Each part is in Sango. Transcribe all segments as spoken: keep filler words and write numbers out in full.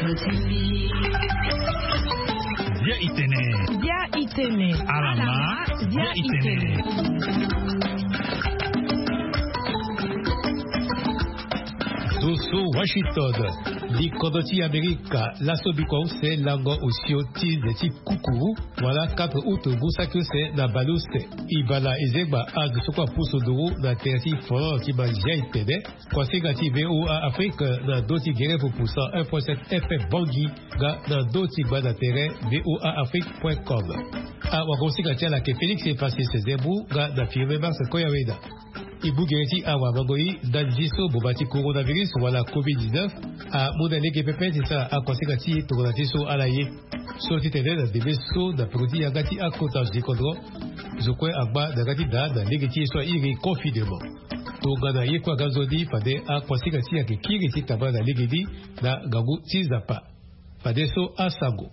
Bia itene. Bia itene. Alama. Bia itene. Zo so Washington. Ni kodro ti Amerika laso bikua use lango osio ti nze ti kukuru wala quatre août ngu saki use na baleuse. Ibala ezengba age so kue apusu nduru na tere ti foro ti mazia itene. Kuasinga ti VOA Afrique na ndö ti gere pupu cent un point sept F M Bangui nga na ndö ti gba na tere VOA Afrique point com. Awagosinga ti ala ayeke Félix Francis Zembu nga na Firmin Mars Koyaweda. E mu gere ti awamango-i ndali ti so boma ti coronavirus wala covid dix-neuf amu na lege pepe ti sara akuasinga ti e tongana ti so ala ye. So titene na ndembe so na peko ti yanga ti akota zo ti kodro, zo kue angba na yanga ti daa na lege ti e so airi confinement. Tongana ye kue aga nzoni fade akuasinga ti e ayeke kiri ti tambala na lege ni na ngangu ti Nzapa. Fadeso asango.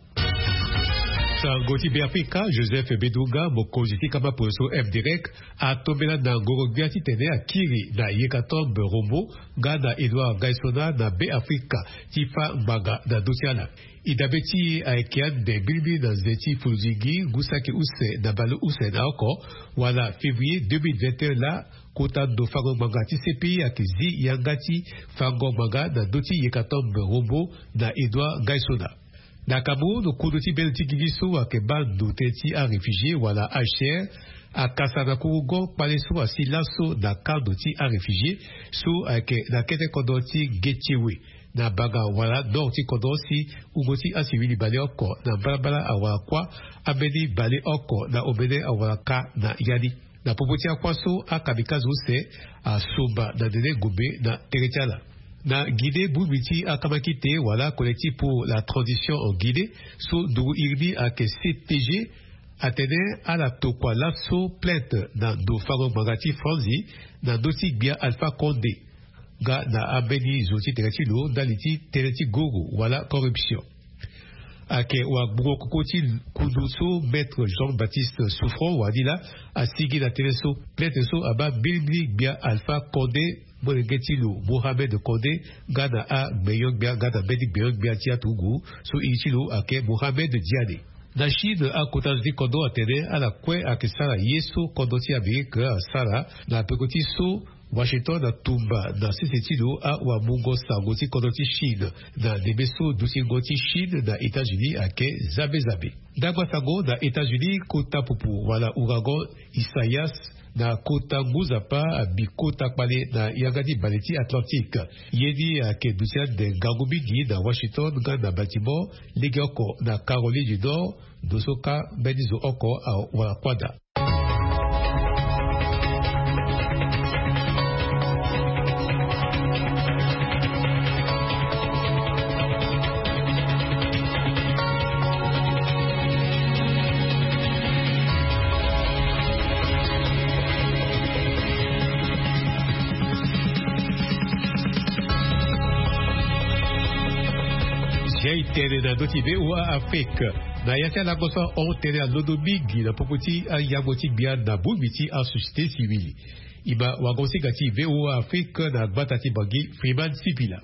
Sango ti Beafrika, Joseph Bedunga, mokonzi ti kama poroso M Direct, atombela na ngoro-gbia titene akiri na Yekatombe Rombo nga na Edouard Ngaisona na Beafrika ti fâ ngbanga na ndö ti ala. E dabe ti e ayeke ande mbilimbili na nze ti folodingi ngu saki use na baleuse na oko, wala février deux mille vingt et un laa, kota ndo fango ngbanga ti C P I ayeke zi yanga ti fango ngbanga na ndö ti Yekatombe Rombo na Edouard Ngaisona. Na Cameroun, kodro ti bendo ti gigi so ayeke baa ndo tënë ti aréfugié wala H C R akasa na kurugo kpale so asi laso na kando ti aréfugié so ayeke na kete kodro ti Guetchewe na banga wala nord ti kodro si wungo ti asiwili baleoko na mbalambala awara kuâ ambeni baleoko na omene awara ka na ya ni. Na popo ti akua so akamikazo use asomba na nene ngombe na tere ti ala. Na Guinée, bongbi ti akamakite wala Collectif pour la Transition en Guinée so nduru iri ni ayeke C T G atene ala tokua laso plainte na ndo fango ngbanga ti Franzi na ndö ti gbia Alpha Condé nga na ambeni zo ti tere ti lo ndali ti tënë ti goro wala corruption. Ayeke wagbungo koko ti kundu so Maître Jean-Baptiste Souffrant wani laa asigi na tënë so plainte so abaa mbilimbili gbia Alpha Condé, molenge ti lo Mohamed Condé, nga na agbenyo-gbia nga na mbeni gbenyo-gbia ti aturugu so iri ti lo ayeke Mohamed Diané. Na Chine, akota zo ti kodro atene ala kue ayeke sara ye so kodro ti Amerike asara na peko ti so Washington atumba na sese ti lo awamungo sango ti kodro ti Chine na ndembe so dutingo ti Chine na États-Unis ayeke zabe zabe. Ndangba sango na États-Unis, kota pupu wala ouragan Isaias na kota ngu nzapa abi kota kpale na yanga ti bale ti Atlantique. Ye ni ayeke duti ande ngangu mingi na Washington nga na Baltimore, legeoko na Caroline du Nord, ndo so ka mbeni zo oko awara kuâ daa. Zia e tene na ndö ti VOA Afrique. Na ya ti alango so ahon tënë alondo mingi na popo ti ayango ti gbia na bongbi ti asociété civile. E ma wagosinga ti VOA Afrique na gbata ti Bangui, Freeman Sipila.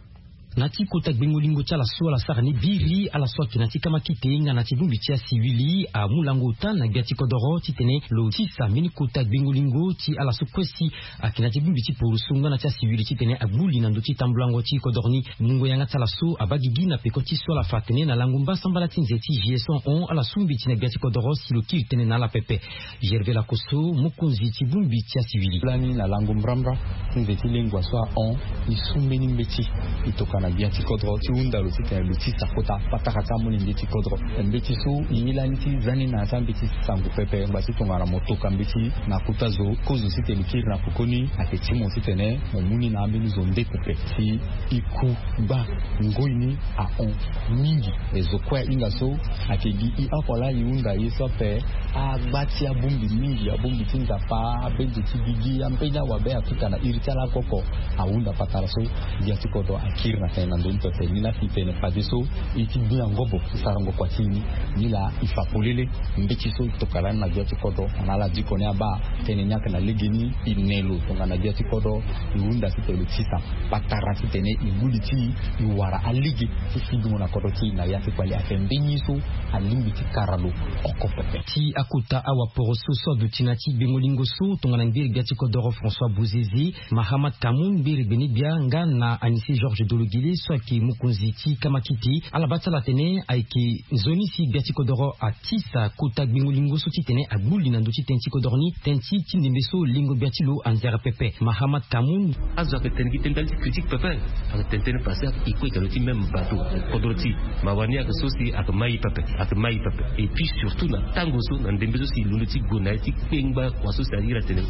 Na ti kota gbengo-lingo ti ala so ala sara ni biri, ala so ayeke na ti kamakite nga na ti bongbi ti asiwili amu lango ota na gbia ti kodoro titene lo tisa mbeni kota gbengo-lingo ti ala so kue si ayeke na ti bongbi ti poroso nga na ti asiwili titene agbu li na ndö ti tambulango ti kodoro ni. Mungo yanga ti ala so abaa gigi na peko ti so ala fa atene na lango mbasambala ti nze ti juillet so ahon ala su mbeti na gbia ti kodoro si lo kiri tënë na ala pepe. Gervais Lakosso, mokonzi ti bongbi ti asiwili. Lani na lango mbrambra ti nze ti lengua so ahon, e su mbeni mbeti e tokua na gbia ti kodro ti hunda lo titene lo tisa kota patara ti amolenge ti kodro. Mbeti so e ye lani ti za ni na ya ti ambeti sango pepe ngba ti tongana mo toka mbeti na kota zo kozo titene lo kiri na pokoni ayeke ti mo titene mo mu ni na ambeni zo nde pepe si e ku gba ngoi ni ahon mingi. E zo kue ahinga so ayeke gi e oko laa e hunda ye so ape agba ti abongbi mingi, abongbi ti Nzapa, abengbi ti gigi, ambeni awabe akita na iri ti ala oko oko ahunda patara so gbia ti kodro akiri na Na ndoni pepe ni laa ti tene fadeso e ti bi na ngobo ti sarango kua ti e ni. Ni laa e fa polele mbeti so e tokana ni na gbia ti kodro na ala diko ni abaa. Tënë ni ayeke na legeni e ne lo tongana gbia ti kodro. E hunda titene lo tisa patara titene e gbu li ti e e wara alege ti fidungo na kodro ti e na ya ti kpale ayeke mbeni ye so alingbi ti kara lo oko pepe. Ti akota awaporoso so aduti na ya ti gbengo-lingo so tongana ngberegbia ti kodoro François Bouzizi, Mahamat Kamoun ngberegbeni-gbia nga na Anicet Georges Dologele so ayeke mokonzi ti kamakiti, ala baa ti ala atene ayeke nzoni si gbia ti kodoro atisa kota gbengo-lingo so titene agbu li na ndö ti tënë ti kodoro ni, tënë ti ti ndembe so lengo gbia ti lo anzere pepe. Mahamat Kamoun. Azo ayeke tene gi tënë ndali ti critique pepe. Ayeke tene tënë pase, e kue ayeke na ndö ti même bateau. Kodro ti e mawa ni ayeke so si ayeke mai pepe, ayeke mai pepe. Et puis surtout na tango so na ndembe so si e londo ti gue na ye ti kpengba kua so si a iri atene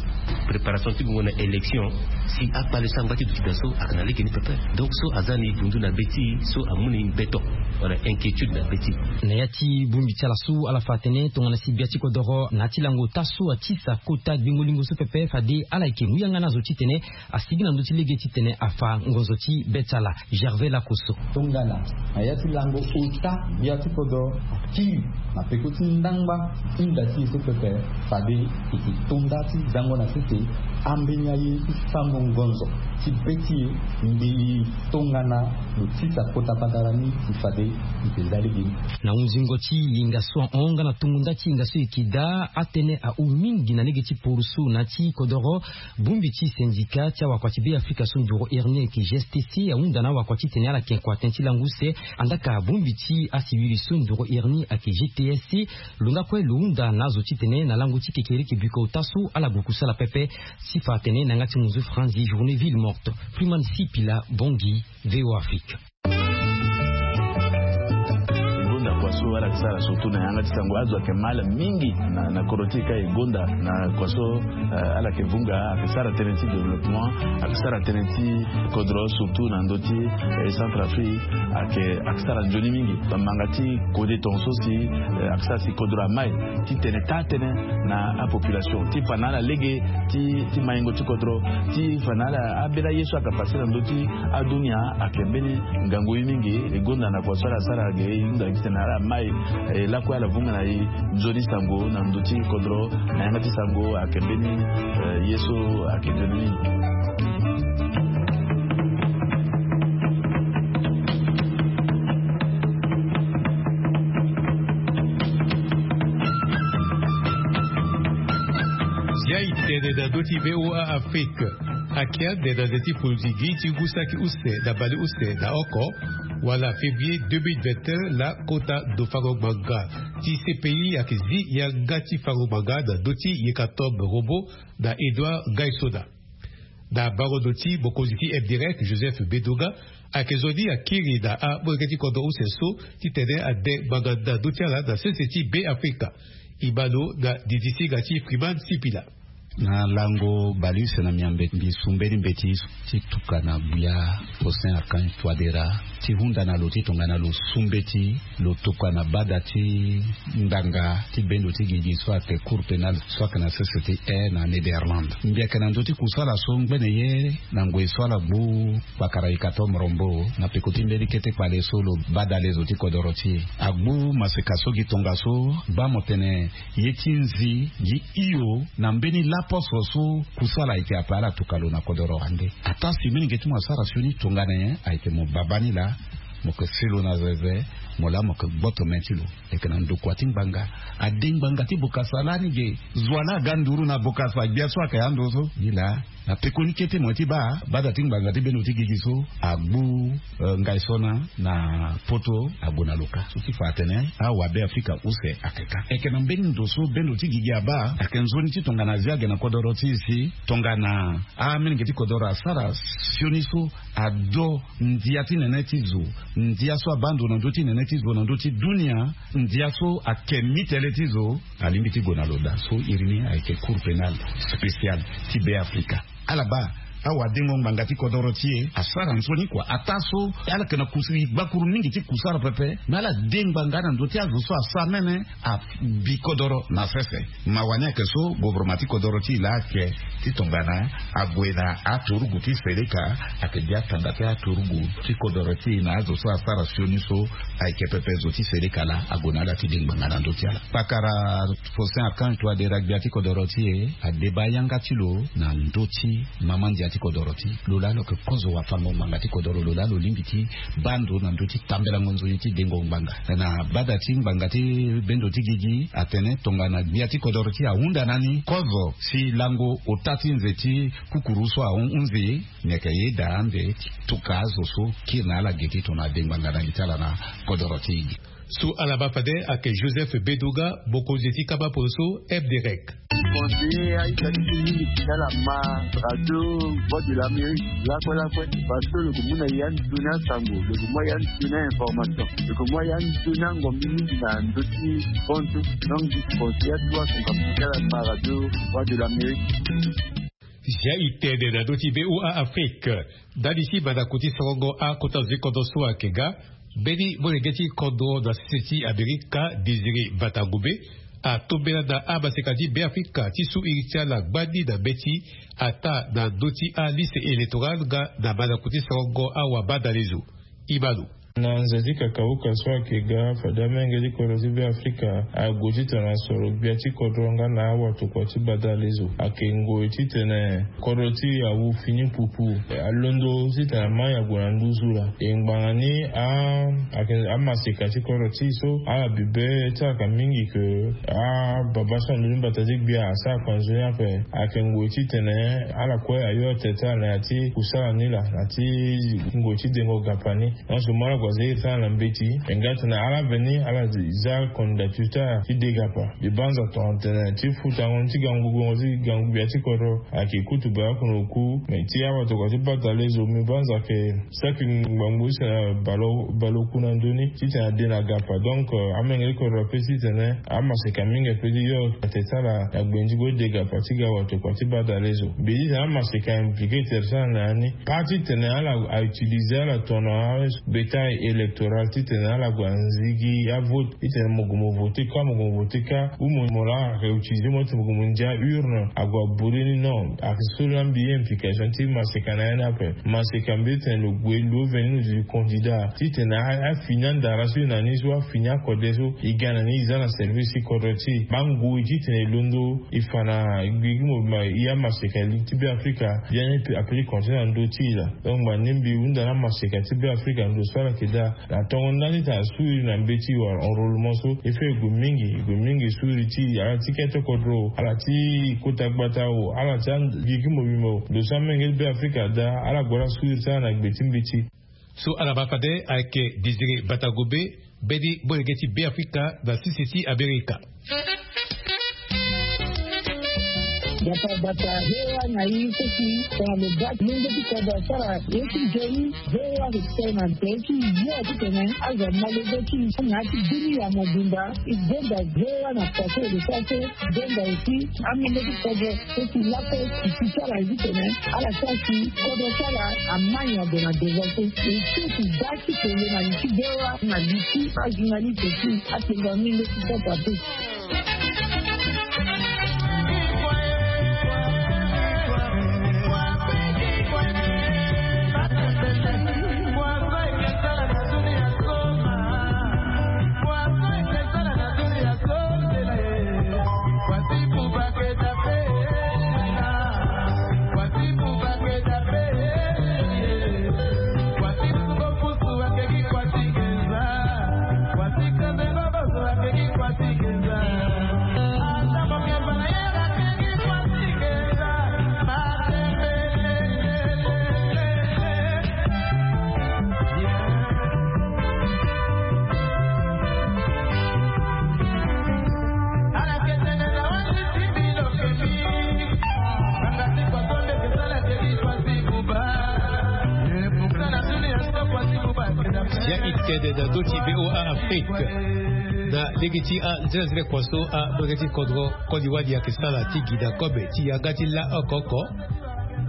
préparation ti gongo na élection. Si akpale so angba ti duti daa so ayeke na lege ni pepe. Donc so aza ni dundu na be ti e so amu na e mbeto wala inquiétude na be ti e. Na ya ti bongbi ti ala so ala fa atene tongana si gbia ti kodoro na ya ti lango ota so atisa kota gbengo-lingo so pepe fade ala yeke mu yanga na azo titene asigi na ndö ti lege titene afa ngonzo ti be ti ala. Gervais Lakoso. Tongana na ya ti lango ota gbia ti kodoro akiri na peko ti ndangba ti nda ti e so pepe, fade e yeke to nda ti zango na sese ambeni aye ti fango ngonzo ti be ti e mbi tongana lo tisa kota patara ni si fade e yeke za lege ni. Na hunzingo ti linga so ahon nga na tongo nda ti linga so e yeke daa, atënë ahu mingi na lege ti poroso na ya ti kodoro. Bongbi ti syndicat ti awakua ti Be Afrika so nduru iri ni ayeke G S T C ahunda na awakua titene ala yeke kua tënë ti lango use. Andaa ka bongbi ti asivili so nduru iri ni ayeke G T S C, lo nga kue lo hunda na azo titene na lango ti kekereke biko ota so ala gue kusala pepe. Ti fa atene na yanga ti munzu franzi journée ville morte. Freeman Sipila, Bangui, V O A Afrique. E gonda kua so ala yeke sara surtout na yanga ti sango, azo ayeke mal mingi na, na kodro ti e ka. E gonda na kua so, eh, ala yeke vunga, ayeke sara tënë ti développement, ayeke sara tënë ti kodro surtout na ndö ti, eh, Centrafrique, ayeke, ayeke sara nzoni mingi. Bamanga ti kode tongaso si, eh, ayeke sara si kodro amai ti tene taa tënë na apopulation ti fa na ala lege ti, ti maingo ti kodro, ti fa na ala ambeni aye so ayeke pase na ndö ti adunia ayeke mbeni ngangu ye mingi. E gonda na kua so ala sara ge, e hunda gi titene ala mai, eh, lakue ala vunga na e nzoni sango na ndö ti kodro na yanga ti sango ayeke mbeni, eh, ye so ayeke nzoni mingi. Zia e tene na ndö ti V O A Afrique. Ayeke ande na nze ti foluzigi ti ngu saki use na bale use na oko, wala février deux mille vingt et un, laa kota ndo fango ngbanga ti C P I ayeke zi yanga ti fango ngbanga na ndö ti Yekatombe Robo na Edouard Ngaisona. Na bango ndo ti mokonzi ti M D R E C, Joseph Bedoga, ayeke zo ni akiri na amolenge ti kodro use so titene ande ngbanga na ndö ti ala na sese ti Be Afrika. E ma lo na didisinga ti Freeman Sipila. Na lango bale use na miambe, mbi su mbeni mbeti ti tuka na Buya Faustin Archange Touadéra ti hunda na lo ti tongana lo su mbeti lo tokua na bada ti ngbanga ti bendo ti gigi so ayeke Cour pénale so ayeke na sese ti e na Netherlandes. Mbi yeke na ndö ti kusala so ngbene ye na ngoi so ala gbu kpakara Yekatombe Robo na peko ti mbeni kete kpale so lo bada lezo ti kodoro ti e. Agbu maseka so gi tongaso baa mo tene ye ti nzi gi hio na mbeni laposo so kusala ayeke ape ala tuka lo na kodoro ande. Ataa si mbeni nge ti mo asara sioni tongana nyen, ayeke mo baba ni laa mo yeke si lo na zeze, mo laa mo yeke gboto me ti lo. Ayeke na ndokua ti ngbanga. Ade ngbanga ti bokasa lani ge. Zo wa laa aga nduru na bokasa gbia so ayeke ando so. Ni laa na pekoni kete mo ye ti baa bada ti ngbanga ti bendo ti gigi so agbu, eh, Ngaisona na poto ague na lo ka. So ti fa atene awabe Afrika use ayeke ka. Ayeke na mbeni ndo so bendo ti gigi abaa ayeke nzoni ti tongana zia ge na kodoro ti e si tongana amolenge ti kodoro asara sioni so ado ndia ti nene ti zo, ndia so abaa ndo na ndö ti nene ti zo na ndö ti dunia, ndia so ake mi tele ti zo, alingbi ti gue na lo daa. So iri ni ayeke Cour pénale spéciale ti Be Afrika. Ala baa Awadengo ngbanga ti kodoro ti e asara nzoni kua ataa so ala yeke na kusiri gbakuru mingi ti kusara pepe. Me ala de ngbanga na ndö ti azo so asa mene abi kodoro na sese. Mawa ni ayeke so govoroma ti kodoro ti e laa ayeke ti tongana ague na aturugu ti seleka, ayeke gi atanda ti aturugu ti kodoro ti e na azo so asara sioni so ayeke pepe zo ti seleka laa ague na ala ti de ngbanga na ndö ti ala. Pakara Faustin Archange Touadéra gbia ti kodoro ti e adeba yanga ti lo na ndö ti mama ndia ti kodoro ti e. Lo laa lo yeke kozo wafango ngbanga ti kodoro, lo laa lo lingbi ti baa ndo na ndö ti tambelango nzoni ti dengo ngbanga. Na bada ti ngbanga ti bendo ti gigi atene tongana gbia ti kodoro ti e ahunda na ni kozo si lango ota ti nze ti kukuru so ahunzi, ni ayeke yeda ande ti tuka azo so kiri na ala ge ti tongana ade ngbanga na li ti ala na kodoro ti e. So ala baa fade ayeke Joseph Bedoga, mokonzi ti kaba poroso F D R E C. Conseiller a-ita ti ti mingi ti ala ma radio Voix de l'Amérique lakue lakue, parce que lo yeke mu na ya nzoni asango, lo yeke mu ya nzoni a-information, lo yeke mu ya nzoni angombi mingi na ndö ti fontu. Donc, conseiller atuwa asango ti ala ma radio Voix de l'Amérique. Zia e tene na ndö ti V O A Afrique. Ndali ti mandaku ti sorongo akota zo ti kodro so ayeke ga, mbeni molenge ti kodro na sese ti Amerika, Désiré Batangombe, atombela na amaseka ti Beafrika ti su iri ti ala gbani na mbeti ataa na ndö ti aliste électorale nga na mandaku ti sorongo awabadalezo. Imano. Na nze ti kakauka so ayeke ga, fade amolenge ti kodro ti Beafrika ague titene asoro gbia ti kodro nga na awatokua ti badalezo. Ayeke ngoi titene kodro ti e awu fini pupu. E, alondo titene amai ague na nduzu laa. E ngbanga ni a, ayeke amaseka ti kodro ti e so ala bibe ti ala ka mingi ke ababa so na ndö ti mbata ti gbia asara kua nzoni ape. Ayeke ngoi titene ala kue ayo atene ti ala na ya ti kusala ni laa, na ya ti ngoi ti dengo gapa ni. Nyonso mo ala gue aza iri ti ala na mbeti. E nga tene ala veni ala za candidature ti ala ti de gapa. Mbi banza tongana tene ti futango ni ti gangu gbongo ti gangu gbia ti kodro ayeke kutu baleoko na oku. Me ti awatokua ti badalezo, mbi banza ayeke saki ngbangbo ti tene baleoko, baleoku na ndö ni titene ade na gapa. Donc, euh, amolenge ti kodro ape titene amaseka mingi ape ti yo atene ti ala na gbenzi gue ti de gapa ti ga awatokua ti badalezo. Mbi ye titene amaseka impliqué tere ti ala na ya ni. Pas titene ala a utiliser ala tongana bétail électoral titene ala gue anzigi avote. Titene mo gue mo voter ka, mo gue mo voter ka. Ou mo, mo laa ayeke utiliser mo titene mo gue mo ndia urne ague aburi ni, non. Ayeke so laa mbi ye implication ti maseka na ya ni ape. Maseka mbi ye titene lo gue lo veni lo duti candidat titene a, afini andara so e na ni so, afini akode so e ga na ni, e za na service ti kodro ti e. Baa ngoi titene e londo e fa na gigi mo ma e amaseka li ti Beafrika, biani ape ti continue na ndö ti e laa. Donc ngbanga ni mbi hunda na amaseka ti Beafrika na ndo so ala yeke daa. Na tongo ndani titene asu iri na mbeti wala enrôlement so, e fait e gue mingi, e gue mingi su iri ti e, ala ti kete kodro, ala ti kota gbata o, ala ti gigi mobimba o. Ndo so amolenge ti Beafrika adaa, ala gue ala su iri ti ala na gbe ti mbeti. So ala baa fade ayeke Désiré Batangombe, mbeni molenge ti Beafrika na sese ti Amerika. Gbata gbata, V O A na i seki tongana lo baa molenge ti kodro asara ye ti nzoni, V O A ayeke tene na nze ti yo titene azo amolenge ti i na ya ti dunia mobimba. E gonda V O A na kua so e lo sara so, e gonda aussi amolenge ti kodro so si lakue e si ti ala ye titene ala sara si kodro ti ala amai ague na devant so. E seki baa ti tene na li ti V O A na li ti ajournaliste ti atene na molenge ti kodro ape. Ya e tene na ndö ti V O A Afrique. Na lege ti anzenanzene kua so amolenge ti kodro koli wali ayeke sara ti gi na kobe ti yanga ti la oko oko.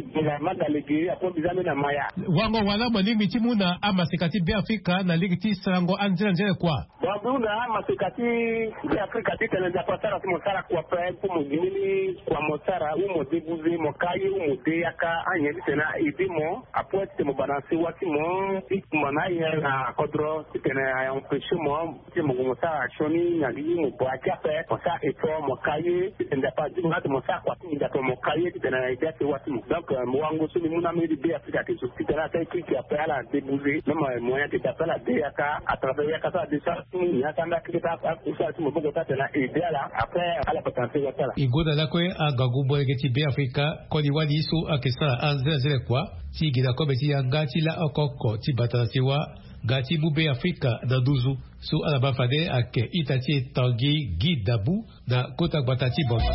Mbi ga ma ga lege apo mbi za mbi na maya. Wango wala mo lingbi ti mu na amaseka ti Beafrika na lege ti sarango anzere anzere kua? Bon, mbi hunda amaseka ti Beafrika titene Nzapa asara ti mo sara kua pe, mpo mo gi mbeni kua mo sara, ou mo debuze mo ka ye, ou mo de yaka anyen titene a ede mo apo titene mo bana sewa ti mo ti kumba na ayen na kodro titene a empêche mo ti mo gue mo sara sioni na li mo bua ti ape mo sara effort mo ka ye titene Nzapa azi mo na ti mo sara kua ti mo Nzapa mo ka ye titene a ede asewa ti mo. Donc, euh, mo wango so mbi mu na mbeni Beafrika ayeke zo titene asara écrit ti ape ala débouger même, euh, moyen ti da ape ala de yaka à travers yaka so ala de so ala ti mu nyen asara nda keke ti akusala ti maboko ti atene aide ala après ala bata na sewa ti ala. E gonda lakue angangu molenge ti Beafrika koli wali so ayeke sara anzere anzere kua ti gi na kobe ti yanga ti la oko oko ti bata na sewa ga ti mu Beafrika na nduzu. So ala baa fade ayeke ita ti e Tanguy Guy Debout na kota gbata ti Bangui.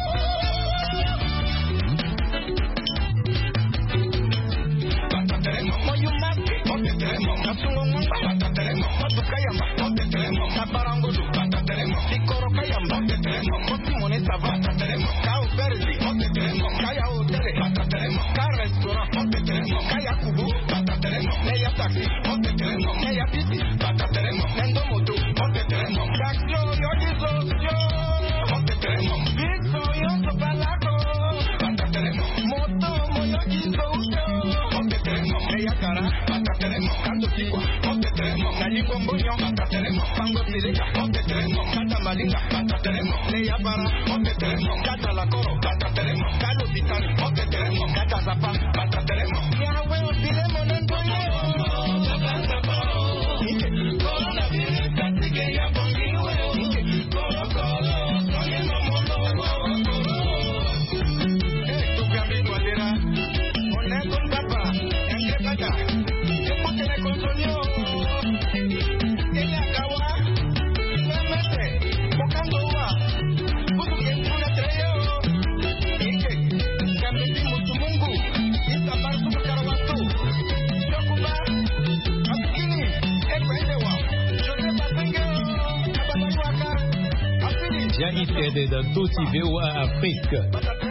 Bia e tene na ndö ti V O A Afrique.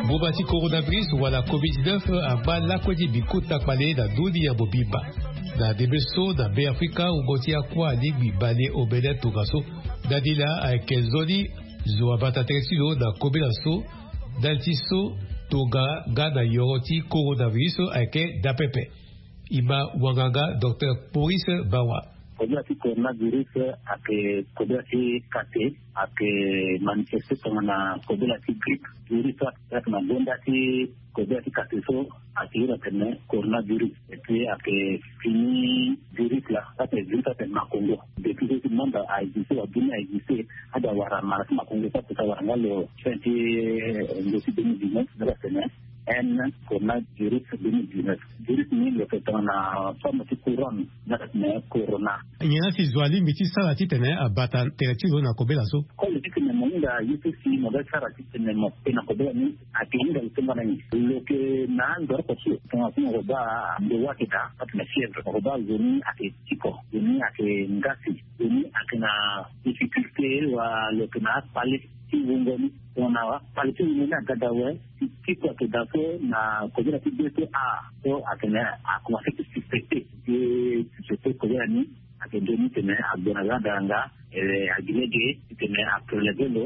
Mboma ti coronavirus wala covid dix-neuf agba lakue ti bikota kpale na ndö ni ya mobimba. Na ndembe so na Beafrika wungo ti akua alingbi bale omene tongaso. Ndali laa ayeke nzoni zo abata tere ti lo na kobela so. Ndali ti so tonga nga na yoro ti coronavirus ayeke daa pepe. E ma wanganga docteur Maurice Bawa. Kobela ti coronavirus ayeke kobela ti kate, ayeke manifeste tongana kobela ti grippe. Virus so ayeke na gonda ti kobela ti kate so ayeke iri atene coronavirus. Et puis ayeke fini virus la, so ayeke virus so ayeke makongo. Depuis so ti monde a existe, wa dunia a existe, ade awara mara ti makongo so apesa wara nga lo fin ti, eh, ndo ti deux mille dix-neuf, ade atene N coronavirus deux mille dix-neuf. Virus ni lo yeke tongana forme ti couronne, na tene corona. Nyen la si zo alingbi ti sara titene abata tere ti lo na kobela so? Comme ti tene mo hinga ye so si mo ga sara titene mo te na kobela ni, ayeke hinga lo tongana nyen? Lo yeke na andoroko so tongana so mo baa ndo wa ayeke daa, atene fièvre, mo baa zo ni ayeke tiko, zo ni ayeke ngasi, zo ni ayeke na difficulté, wa lo yeke na akpale. ti wungo ni. Tongana kpale ti wungo ni aga daa awe, ti ti kua ayeke daa so na kobela ti be so a so atene akomanse ti suspecte ti suspecte kobela ni. Ayeke nzoni titene ague na yanga daranga. Agi lege titene apreleve lo,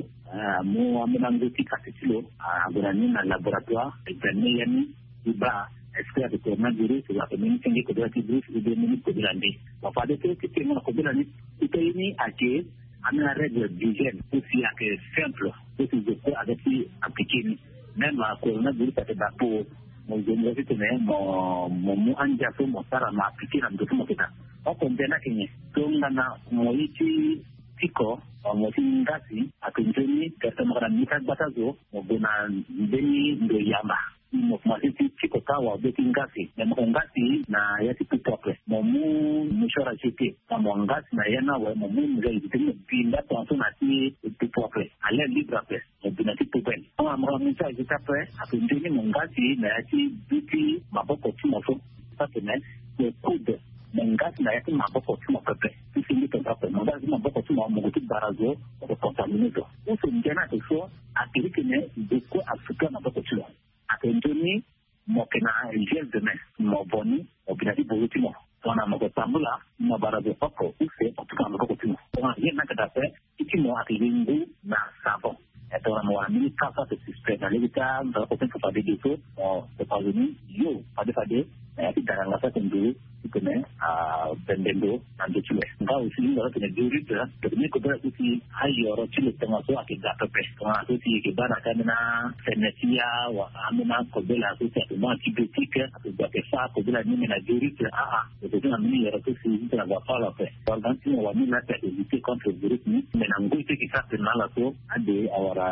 amu ambeni ango ti kati ti lo, ague na ni na laboratoire, examine ya ni. Ti baa est-ce que ayeke coronavirus, ayeke mbeni senge kobela ti virus ou bien mbeni kobela nde. Bon, fade so ti tengo na kobela ni, ti to ye ni ayeke ambeni arègle d'hygiène aussi ayeke simple. Aussi je peux avec ti appliquer ni. Même coronavirus ayeke daa po mo zo mo titene mo mu andia so mo sara mo appliquer na ndo so mo yeke daa. Oko nzene ayeke nyen? Tongana mo ye ti tiko, mo ti ngasi, ayeke nzoni directement na mbeni ka gbata zo mo gue na mbeni ndo yamba. Mo komanse ti tiko ka wa be ti ngasi, me mo yeke ngasi na ya ti pupu ape, mo mu mouchoir à jeter. Ka mo ngasi na ya ni awe, mo mu mouchoir à jeter, mo bi nda tongaso na ti pupu ape à l'air libre ape, mo bi na ti poubelle. Tongana mo yeke mouchoir à jeter ape, ayeke nzoni mo ngasi na ya ti bi ti maboko ti mo so. Atene mo coude, mo ngasi na ya ti maboko ti mo pepe. Ti senge tongaso ape mo ngasi ti maboko ti mo, mo gue ti bara zo, mo yeke contamine zo. Use nzene ayeke so, ayeke titene zo kue asuka maboko ti lo. Ayeke nzoni mo yeke na gel de main, mo vo ni, mo bi na ti bozo ti mo. Tongana mo yeke tambula, mo bara zo oko use mo tuka na maboko ti mo. Tongana gel ni ayeke daa ape, ti ti mo ayeke gi ngu na savon. E tongana mo wara mbeni ka so ayeke suspect na lege ti amvara oko ti fade ge so, mo sepa zo ni yo fade fade na ya ti daranga so ayeke nduru titene abembe ndo na ndo ti lo. Nga aussi hinga so atene diurite, tene kobela so si ayoro ti lo tongaso ayeke daa pepe. Tongana so si e yeke baa na ka ambeni afene ti ya wala ambeni akobela so si ayeke mu antibiotique, ayeke gue ayeke fâ kobela ni me na diurite, aa, e yeke zi na mbeni yoro so si titene ague afâ lo ape. Organe ti mo wani laa si ayeke lutter contre virus ni me na ngoi so e yeke sara tene na ala so ade awara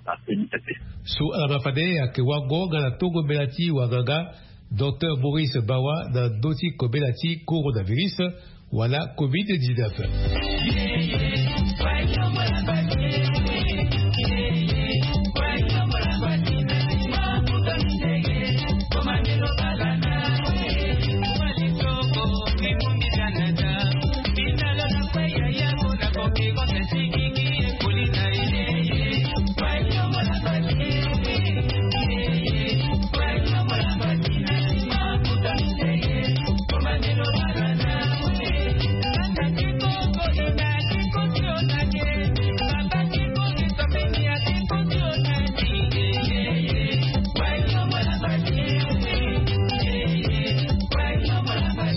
afeni pepe. So ala ma fade ayeke wago nga na tongo mbela ti wanganga Docteur Maurice Bawa na ndö ti kobela ti coronavirus wala covid dix-neuf.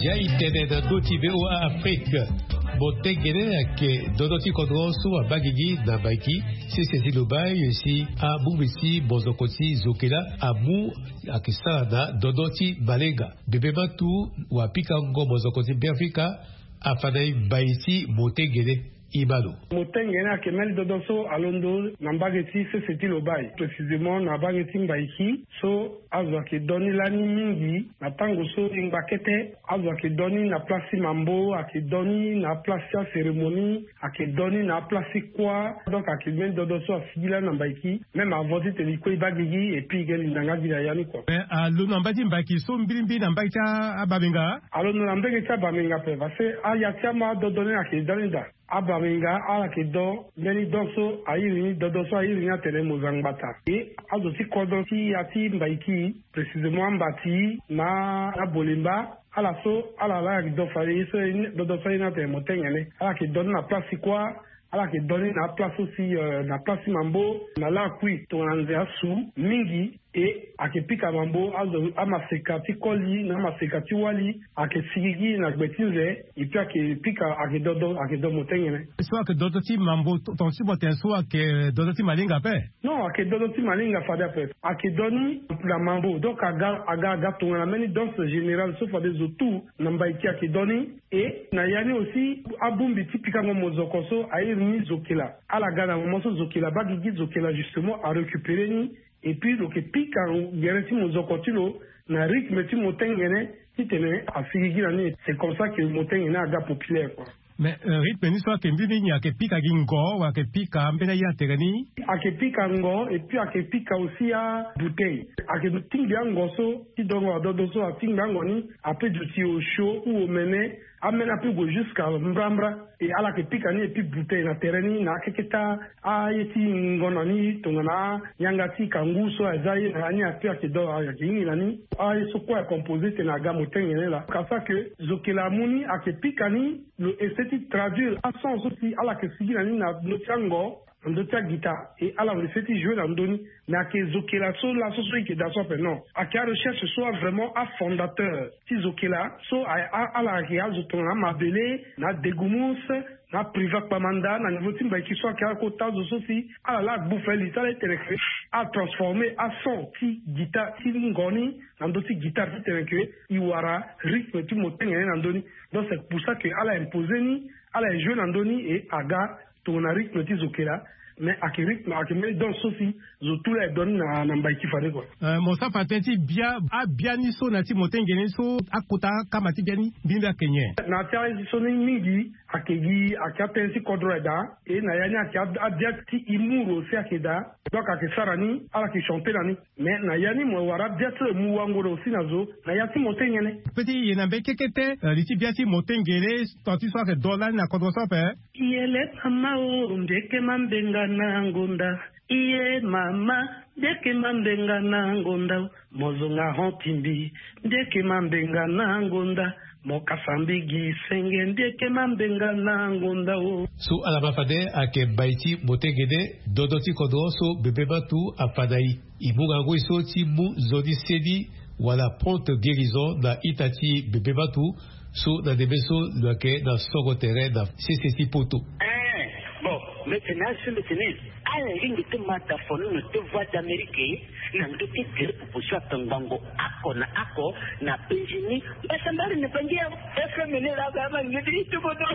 Ya e tene na ndö ti V O A Afrique. Motengene ayeke dodo ti kodro so abaa gigi na Mbaiki, sese ti lo baa ye si abongbi ti mozoko ti zokela amu ayeke sara na dodo ti malenga. Bebe matu wapikango mozoko ti Beafrika afa na e mbai ti motengene. Imalo. Motengene ayeke mbeni dodo so alondo na mbage ti sese ti lo baa, précisément na mbage ti Mbaiki. So azo ayeke do ni lani mingi na tango so e ngba kete. Azo ayeke do ni na place ti mambo, ayeke do ni na place ti acérémonie, ayeke do ni na place ti kuâ. Donc ayeke mbeni dodo so asigi lani na Mbaiki. Même avant titene e kue e baa gigi et puis e ge linda nga gi na ya ni kua. Mais alondo na mbage ti Mbaiki so mbirimbiri na mbage ti abamenga? Alondo na mbage ti abamenga ape parce que aya ti ama adodo ni ayeke da ni daa. Abamenga ala yeke do mbeni do so a iri ni, dodo so a iri ni atene Mozangbata. E azo ti kodro ti ya ti Mbaiki, précisément Ambati na Abolemba, ala so ala laa ayeke do fade ye so, dodo so a iri ni atene Motengene. Ala yeke do ni na place ti kuâ, ala yeke do ni na aplace so si, euh, na place ti mambo, na lakui tongana nze asu mingi. E ayeke pika mambo, azo amaseka ti koli na amaseka ti wali ayeke sigigi na gbe ti nze. Et puis ayeke pika, ayeke dodo, ayeke do Motengene. So ayeke dodo ti mambo, tonga ti mo tene so ayeke dodo ti malinga ape? Non, ayeke dodo ti malinga fade ape. Ayeke do ni na mambo, donc aga, aga, aga tongana mbeni danse générale so fade zo tout na Mbaiki ayeke do ni. E na ya ni aussi abongbi ti pikango mozoko so a iri ni zokela. Ala ga na moment so zokela abaa gigi, zokela justement a récupérer ni. Et puis lo yeke pika gere ti mozoko ti lo na rythme ti Motengene. Titene asigi gi na ni, c'est comme ça que motenge ni aga populaire quoi. Mais rythme ni so ayeke mbeni nini? Ayeke pika gi ngo wala ayeke pika ambeni aye na tere ni? Ayeke pika ngo et puis ayeke pika aussi abouteille. Ayeke tingbi ango so ti dongo adodo so atingbi ango ni, ape duti osio ou omene. Ameni ape gue jusqu'à mbrambra. Et ala yeke pika ni et puis bouteille na tere ni na akeke ta aye ti ngonda ni tongana yanga ti kangu so aza ye na ya ni ape ayeke do ayeke hingi na ni. Aye so kue acompose tene aga motenge ni laa. Kasa ke zokela amu ni ayeke pika ni lo essaie ti traduire ason so si ala yeke sigi na ni na ndö ti ango, na ndö ti agita. Et ala lo essaie ti jouer na ndö ni. Mais ayeke zokela so laso so i yeke daa so ape non. Ayeke arecherche so avraimment afondateur ti zokela so ala ayeke azo tongana amabele, na adegumus, na apriva kpamanda na niveau ti mbaiki so ayeke akota zo so si ala laa agbu fali ti ala ti tene ke atransforme ason ti guitare ti ngo ni na ndö ti guitare ti tene ke i wara rythme ti motenge ni na ndö ni. Donc c'est pour ça que ala impose ni, ala e jouer na ndö ni et aga tongana rythme ti zokela. Mais ayeke rythme ayeke mbeni danse so si zo tu laa e donne na mbai ti fade kua. Mo sara fa tënë ti bia abia ni so na ya ti motenge ni so akota akama ti bia ni mbi mbi ayeke nyen? Na ya ti aye so ni mingi ayeke gi ayeke atënë ti kodro aye daa. E na ya ni ayeke abia ti humour aussi ayeke daa. Donc ayeke sara ni ala yeke chanter na ni. Mais na ya ni mo wara abia so e mu wango na aussi na zo na ya ti motenge ni. Pe ti ye na mbeni kekete li ti bia ti motenge ni. Ton ti so ayeke do lani na kodro so ape. Iyele mama o, ndeke mambenga na ngonda. Iye mama, ndeke mambenga na ngonda o. Mo zonga hon ti mbi, ndeke mambenga na ngonda. Mo kasa mbi gi senge, ndeke mambenga na ngonda o. So ala ma fade ayeke mbai ti motengene dodo ti kodro so bebe matu afa na i. I mu ngangu e so ti mu nzoni seni wala prompte guérison na ita ti bebe matu. So na ndembe so lo yeke na songo tere na sese ti poto. Eh, bon, maintenant so maintenant ala lingbi ti ma tafono na te voix d'Amérique na ndö ti gere proposition atongbango ako na ako na penzi ni. Mbasa mbali na bangi ya F M ni la ba ma ngedi ti bodo.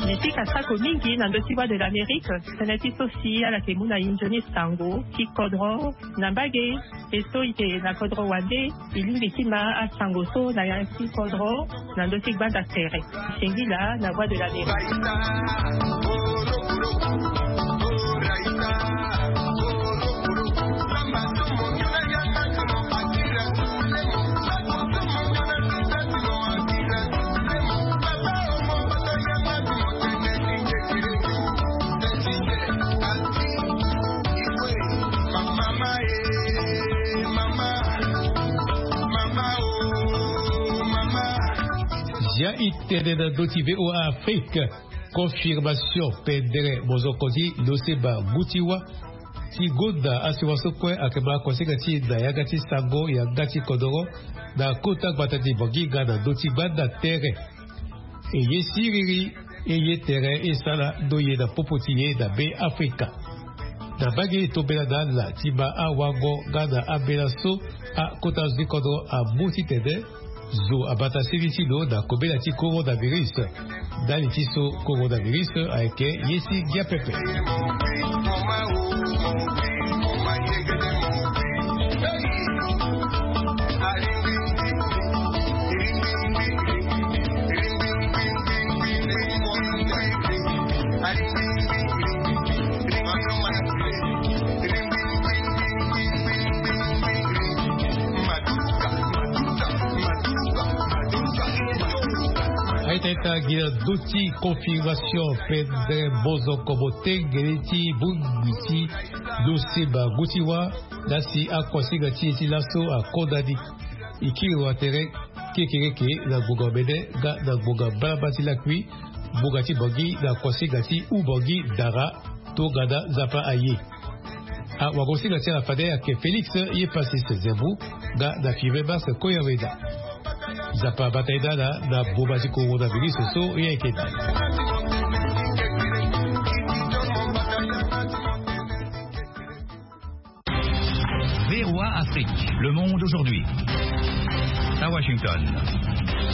Ni ti kasako mingi na ndö ti Voix de l'Amérique. Tënë ti so si ala yeke mu na inzo ni sango ti kodro na mbage. E so i yeke na kodro wande, i lingbi ti ma asango so na ya ti kodro na ndö ti gbanda tere. Singila na Voix de l'Amérique. Ya i tene na ndö ti V O A Afrique. Confirmation pendere mozoko ti lo semba ngu ti wâ ti gonda asiwa so kue ayeke ma kosinga ti e na yanga ti sango yanga ti kodoro na kota gbata ti Bangi nga na ndö ti gbanda tere. E ye siriri, e ye tere e sara ndo ye na popo ti ye na Be Afrika. Na mbage e tombela na ala ti ma awango nga na ambela so akota zo ti kodro amu titene zo abata seni ti lo na kobela ti coronavirus. Ndali ti so coronavirus ayeke ye si ngia pepe. Teta gi na ndö ti configuration pendere mbonzoko motengele ti bongbi ti lo semba ngu ti wâ. Na si akuasinga ti e ti laso akonda ni, e kiri wa tere kekereke na ngonga mene nga na ngonga mbalamba ti lakui, ngonga ti bangi na kuasinga ti u bangi dara tongana Nzapa aye. Awagosinga ti ala fade ayeke Félix ye Pacis Zembu nga na Firmin Mars Koyaweda. Nzapa abata ye na ala na boma ti coronavirus so ye ayeke na. V O A Afrique, le monde aujourd'hui. À Washington.